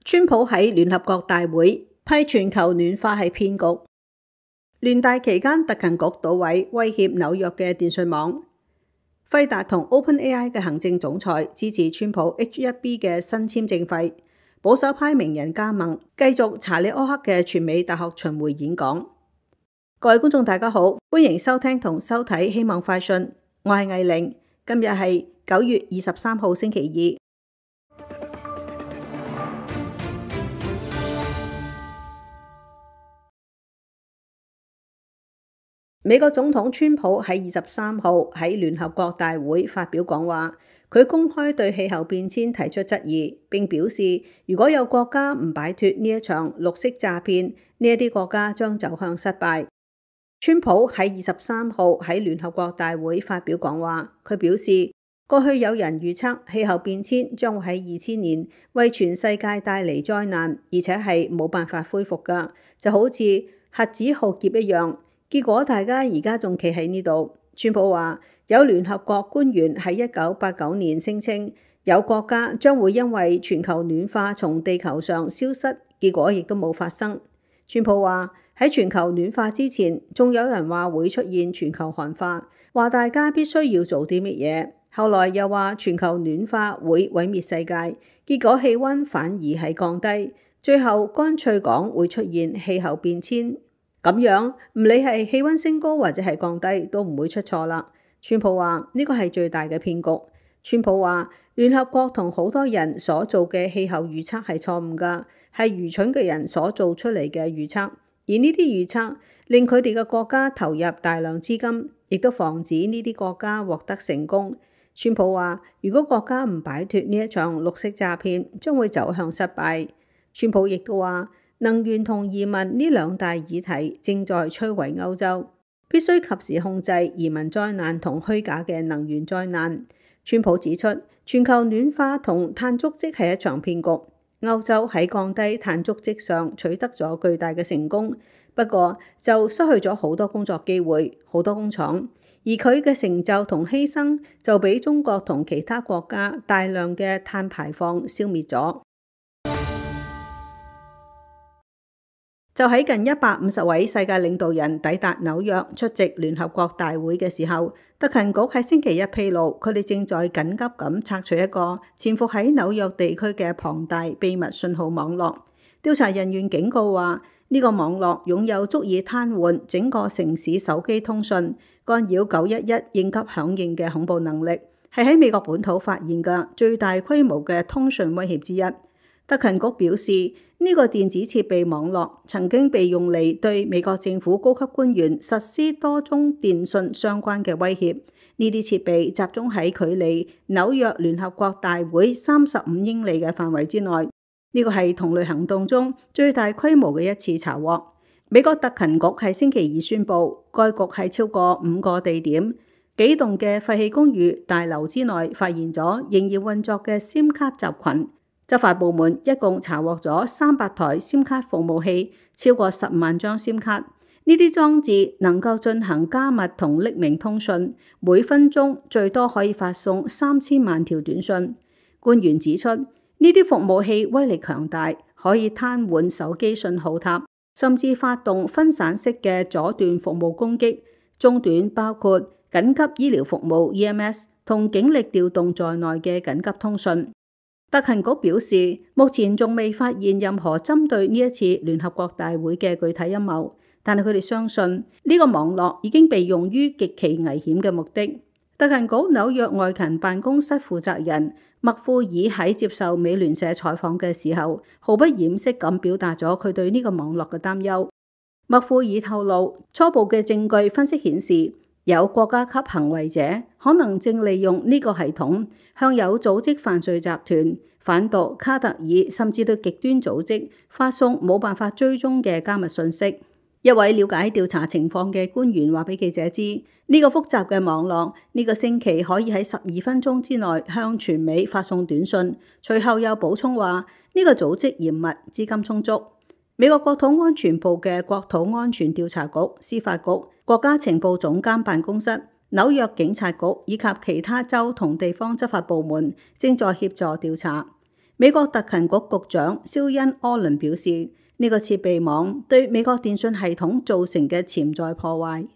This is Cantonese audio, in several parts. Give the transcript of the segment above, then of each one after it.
川普喺聯合國大會批全球暖化係騙局。聯大期間，特勤局搗毀威脅紐約嘅電訊網。輝達同 OpenAI 嘅行政總裁支持川普 H-1B 嘅新簽證費。保守派名人加盟，繼續查理柯克嘅全美大學巡迴演講。各位觀眾大家好，歡迎收聽同收睇希望快訊，我係藝玲。今日係9月23號星期二。美國總統川普喺23號喺聯合國大會發表講話，佢公開對氣候變遷提出質疑，並表示如果有國家唔擺脫呢一場綠色詐騙，呢一啲國家將走向失敗。川普喺23號喺聯合國大會發表講話，佢表示過去有人預測氣候變遷將會喺2000年為全世界帶嚟災難，而且係冇辦法恢復㗎，就好似核子浩劫一樣。結果大家而家仲企喺呢度。川普話有聯合國官員喺1989年聲稱有國家將會因為全球暖化從地球上消失，結果亦都冇發生。川普話喺全球暖化之前，仲有人話會出現全球寒化，話大家必須要做啲乜嘢。後來又話全球暖化會毀滅世界，結果氣溫反而係降低，最後乾脆講會出現氣候變遷。咁樣唔理係氣溫升高或者係降低都唔會出錯啦。川普話呢個係最大嘅騙局。川普話聯合國同好多人所做嘅氣候預測係錯誤㗎，係愚蠢嘅人所做出嚟嘅預測，而呢啲預測令佢哋嘅國家投入大量資金，亦都防止呢啲國家獲得成功。川普話如果國家唔擺脫呢一場綠色詐騙，將會走向失敗。川普亦都話能源同移民呢兩大議題正在摧毀歐洲，必須及時控制移民災難同虛假嘅能源災難。川普指出，全球暖化同碳足跡係一場騙局。歐洲喺降低碳足跡上取得咗巨大嘅成功，不過就失去咗好多工作機會、好多工廠，而佢嘅成就同犧牲就俾中國同其他國家大量嘅碳排放消滅咗。就喺近150位世界領導人抵達紐約出席聯合國大會嘅時候，特勤局喺星期一披露，佢哋正在緊急咁拆除一個潛伏喺紐約地區嘅龐大秘密信號網絡。調查人員警告話，呢個網絡擁有足以癱瘓整個城市手機通訊、干擾911應急響應嘅恐怖能力，係喺美國本土發現嘅最大規模嘅通訊威脅之一。特勤局表示，呢個電子設備網絡曾經被用嚟對美國政府高級官員實施多宗電訊相關嘅威脅。呢啲設備集中喺距離紐約聯合國大會35英里嘅範圍之內。呢個係同類行動中最大規模嘅一次查獲。美國特勤局喺星期二宣布，該局喺超過5個地點、幾棟嘅廢棄公寓大樓之內發現咗仍然運作嘅 SIM 卡集群。執法部門一共查獲咗300台 SIM 卡服務器，超過10萬張 SIM 卡。呢啲裝置能夠進行加密同匿名通訊，每分鐘最多可以發送3000萬條短訊。官員指出，呢啲服務器威力強大，可以癱瘓手機信號塔，甚至發動分散式嘅阻斷服務攻擊。中斷包括緊急醫療服務 EMS 同警力調動在內嘅緊急通訊。特勤局表示，目前仲未發現任何針對呢一次聯合國大會嘅具體陰謀，但係佢哋相信呢個網絡已經被用於極其危險嘅目的。特勤局紐約外勤辦公室負責人麥庫爾喺接受美聯社採訪嘅時候，毫不掩飾咁表達咗佢對呢個網絡嘅擔憂。麥庫爾透露，初步嘅證據分析顯示，有國家級行為者可能正利用呢個系統向有組織犯罪集團、販毒、卡特爾甚至對極端組織發送冇辦法追蹤嘅加密信息。一位了解調查情況嘅官員話俾記者知，呢個複雜嘅網絡呢個星期可以喺12分鐘之內向全美發送短訊。隨後又補充話，呢個組織嚴密、資金充足。美國國土安全部嘅國土安全調查局、司法局、國家情報總監辦公室、紐約警察局以及其他州同地方執法部門正在協助調查。美國特勤局局長蕭恩·柯倫表示，呢個設備網對美國電訊系統造成嘅潛在破壞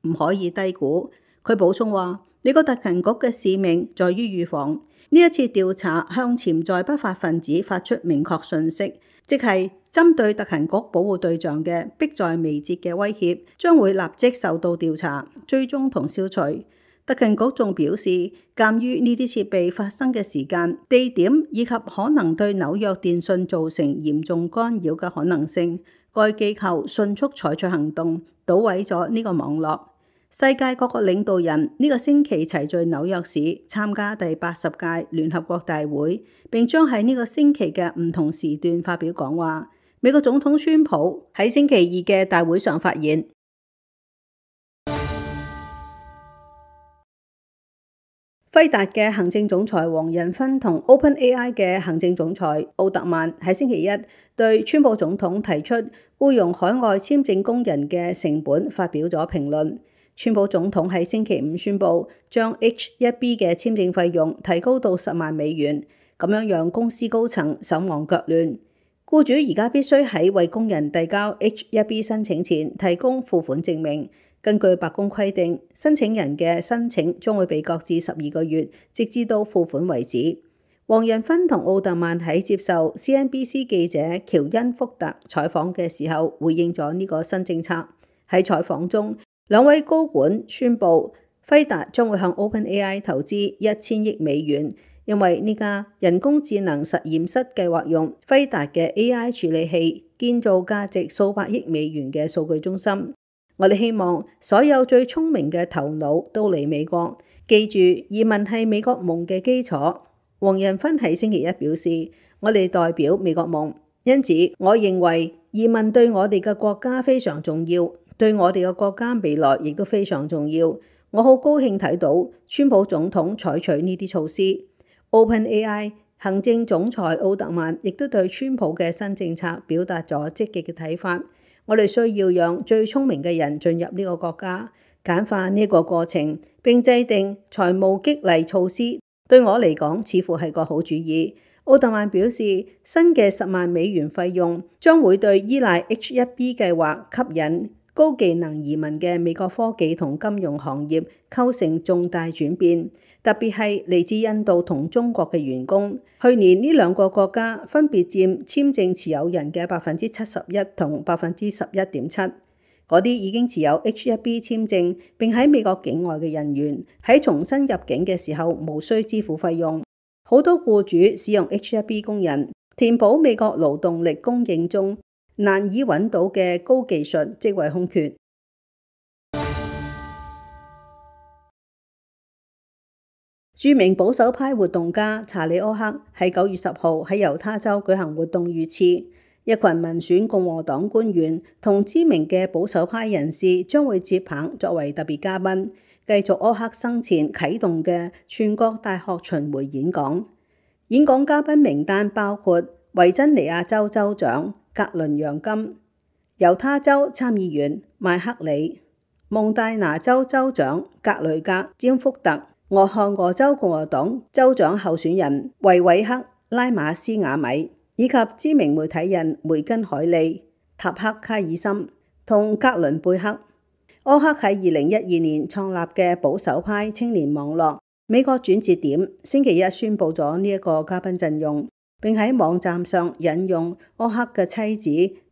唔可以低估。佢補充話，美國特勤局嘅使命在於預防。呢一次調查向潛在不法分子發出明確訊息，即係針對特勤局保護對象嘅迫在眉睫嘅威脅將會立即受到調查、追蹤同消除。特勤局仲表示，鑑於呢啲設備發生嘅時間、地點以及可能對紐約電訊造成嚴重干擾嘅可能性，該機構迅速採取行動，搗毀咗呢個網絡。世界各國領導人呢個星期齊聚紐約市參加第80屆聯合國大會，並將喺呢個星期嘅唔同時段發表講話。美國總統川普喺星期二嘅大會上發言。輝達嘅行政總裁黃仁勳同 OpenAI 嘅行政總裁奧特曼喺星期一對川普總統提出僱用海外簽證工人嘅成本發表咗評論。川普總統喺星期五宣布將 H-1B 嘅簽證費用提高到10萬美元，咁樣讓公司高層手忙腳亂。僱主而家必須喺為工人遞交 H-1B 申請前提供付款證明。根據白宮規定，申請人嘅申請將會被擱置12個月，直至到付款為止。黃仁勳同奧特曼喺接受 CNBC 記者喬恩·福特採訪嘅時候，回應咗呢個新政策。喺採訪中，兩位高管宣布輝達將會向 OpenAI 投資1000億美元，因為呢家人工智能實驗室計劃用輝達嘅 AI 處理器建造價值數百億美元嘅數據中心。我哋希望所有最聰明嘅頭腦都嚟美國。記住，移民係美國夢嘅基礎。黃仁勳喺星期一表示，我哋代表美國夢，因此我認為移民對我哋嘅國家非常重要，對我哋嘅國家未來亦都非常重要。我好高興睇到川普總統採取呢啲措施。OpenAI 行政總裁奧特曼亦都對川普嘅新政策表達咗積極嘅睇法。我哋需要讓最聰明嘅人進入呢個國家，簡化呢個過程，並制定財務激勵措施。對我嚟講，似乎係個好主意。奧特曼表示，新嘅10萬美元費用將會對依賴 H-1B 計劃吸引高技能移民嘅美國科技同金融行業構成重大轉變，特別係嚟自印度同中國嘅員工。去年呢兩個國家分別佔簽證持有人嘅71%同11.7%。嗰啲已經持有 H-1B 簽證並喺美國境外嘅人員喺重新入境嘅時候無需支付費用。好多僱主使用 H-1B 工人填補美國勞動力供應中難以揾到嘅高技術職位空缺。著名保守派活動家查理·柯克喺9月10號喺猶他州舉行活動預設，一群民選共和黨官員同知名嘅保守派人士將會接棒作為特別嘉賓，繼續柯克生前啟動嘅全國大學巡迴演講。演講嘉賓名單包括維珍尼亞州州長格倫·楊金、猶他州參議員麥克里、蒙大拿州州長格雷格·詹福特、俄亥俄州共和黨州長候選人維韋克·拉馬斯瓦米，以及知名媒體人梅根·海利、塔克·卡爾森同格倫貝克。柯克喺2012年創立嘅保守派青年網絡美國轉折點星期一宣布咗呢一個嘉賓陣容，並喺網站上引用柯克嘅妻子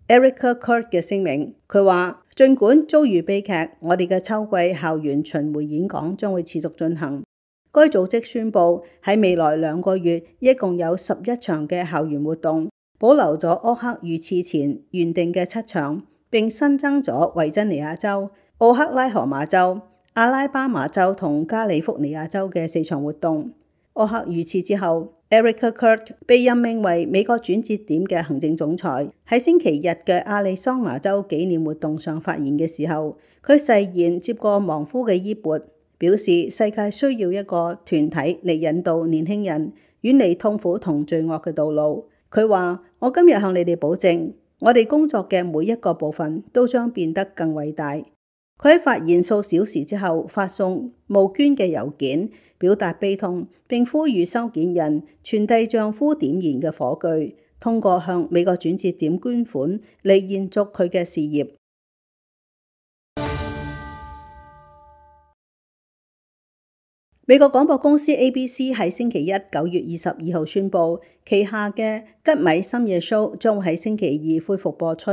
Erica Kurt 嘅聲明。佢話，儘管遭遇悲劇，我哋嘅秋季校園巡迴演講將會持續進行。該組織宣布喺未來2個月一共有11場嘅校園活動，保留咗柯克遇刺前原定嘅7場，並新增咗維珍尼亞州、奧克拉荷馬州、阿拉巴馬州同加利福尼亞州嘅4場活動。柯克遇刺之後，Erica Kurt 被任命為美國轉折點嘅行政總裁。喺星期日嘅亞利桑那州紀念活動上發言嘅時候，佢誓言接過亡夫嘅衣缽，表示世界需要一個團體嚟引導年輕人遠離痛苦同罪惡嘅道路。佢話，我今日向你哋保證，我哋工作嘅每一個部分都將變得更偉大。佢喺發言數小時之後發送募捐嘅郵件，表達悲痛，並呼籲收件人傳遞丈夫點燃嘅火炬，通過向美國轉折點捐款嚟延續佢嘅事業。美國廣播公司 ABC 喺星期一9月22號宣布，旗下嘅吉米深夜 show 將會喺星期二恢復播出。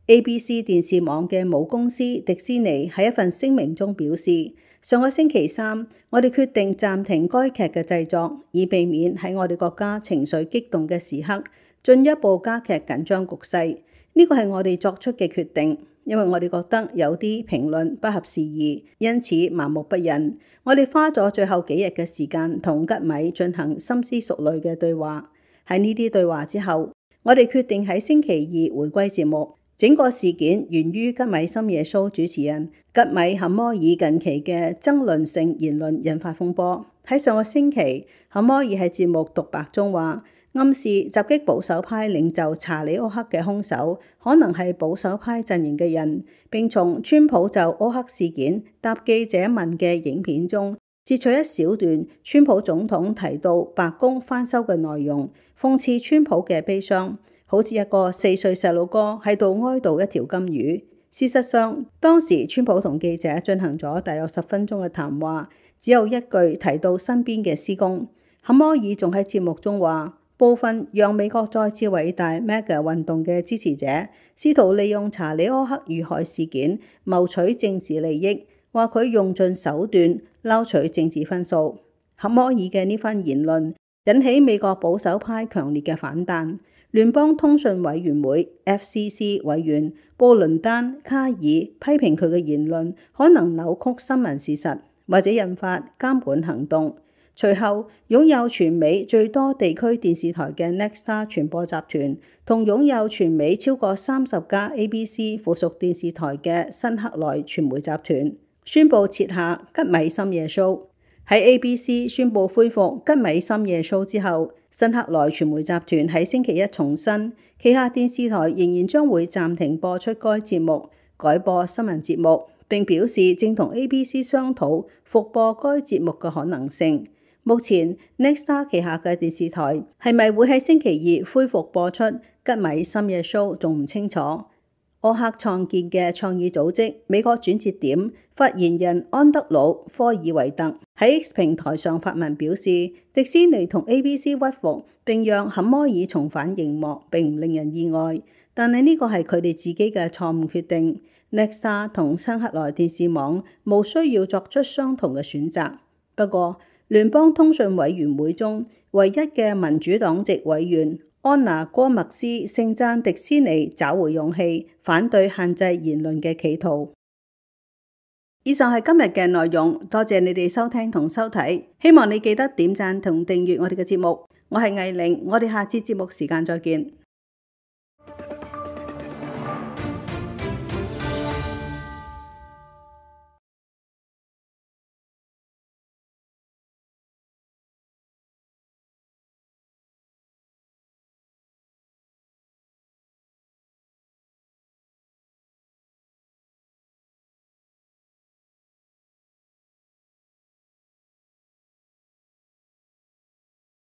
ABC 電視網嘅母公司迪士尼喺一份聲明中表示，上個星期三，我哋決定暫停該劇嘅製作，以避免喺我哋國家情緒激動嘅時刻進一步加劇緊張局勢。呢個係我哋作出嘅決定，因為我哋覺得有啲評論不合時宜，因此麻木不仁。我哋花咗最後幾日嘅時間同吉米進行深思熟慮嘅對話。喺呢啲對話之後，我哋決定喺星期二回歸節目。整個事件源於吉米深夜 show 主持人吉米坎摩爾近期嘅爭論性言論引發風波。喺上個星期，坎摩爾喺節目獨白中話，暗示襲擊保守派領袖查理柯克嘅兇手可能係保守派陣營嘅人，並從川普就柯克事件答記者問嘅影片中截取一小段川普總統提到白宮翻修嘅內容，諷刺川普嘅悲傷，好似一個4歲細路哥喺度哀悼一條金魚。事實上，當時川普同記者進行咗大約10分鐘嘅談話，只有一句提到身邊嘅施工。坎摩爾仲喺節目中話，部分讓美國再次偉大 MAGA 運動嘅支持者試圖利用查理柯克遇害事件謀取政治利益，話佢用盡手段撈取政治分數。坎摩爾嘅呢番言論引起美國保守派強烈嘅反彈。聯邦通訊委員會 FCC 委員布倫丹卡爾批評佢嘅言論可能扭曲新聞事實，或者引發監管行動。隨後，擁有全美最多地區電視台嘅 Nexstar 傳播集團同擁有全美超過30家 ABC 附屬電視台嘅辛克萊傳媒集團宣布撤下吉米深夜 show。喺 ABC 宣布恢復吉米深夜 show 之後，辛克萊傳媒集團喺星期一重申，旗下電視台仍然將會暫停播出該節目，改播新聞節目，並表示正同 ABC 商討復播該節目嘅可能性。目前 Nexstar 旗下嘅電視台係咪會喺星期二恢復播出吉米深夜 show 仲唔清楚。柯克創建嘅創意組織美國轉折點發言人安德魯科爾維特喺 X 平台上發文表示，迪士尼同 ABC 屈服並讓坎摩爾重返熒幕並唔令人意外，但係呢個係佢哋自己嘅錯誤決定。Nexstar 同辛克萊電視網無需要作出相同嘅選擇。不過，聯邦通訊委員會中唯一嘅民主黨籍委員安娜戈麥斯盛讚迪士尼找回勇氣，反對限制言論嘅企圖。以上係今日嘅內容，多謝你哋收聽同收睇，希望你記得點讚同訂閱我哋嘅節目。我係藝玲，我哋下次節目時間再見。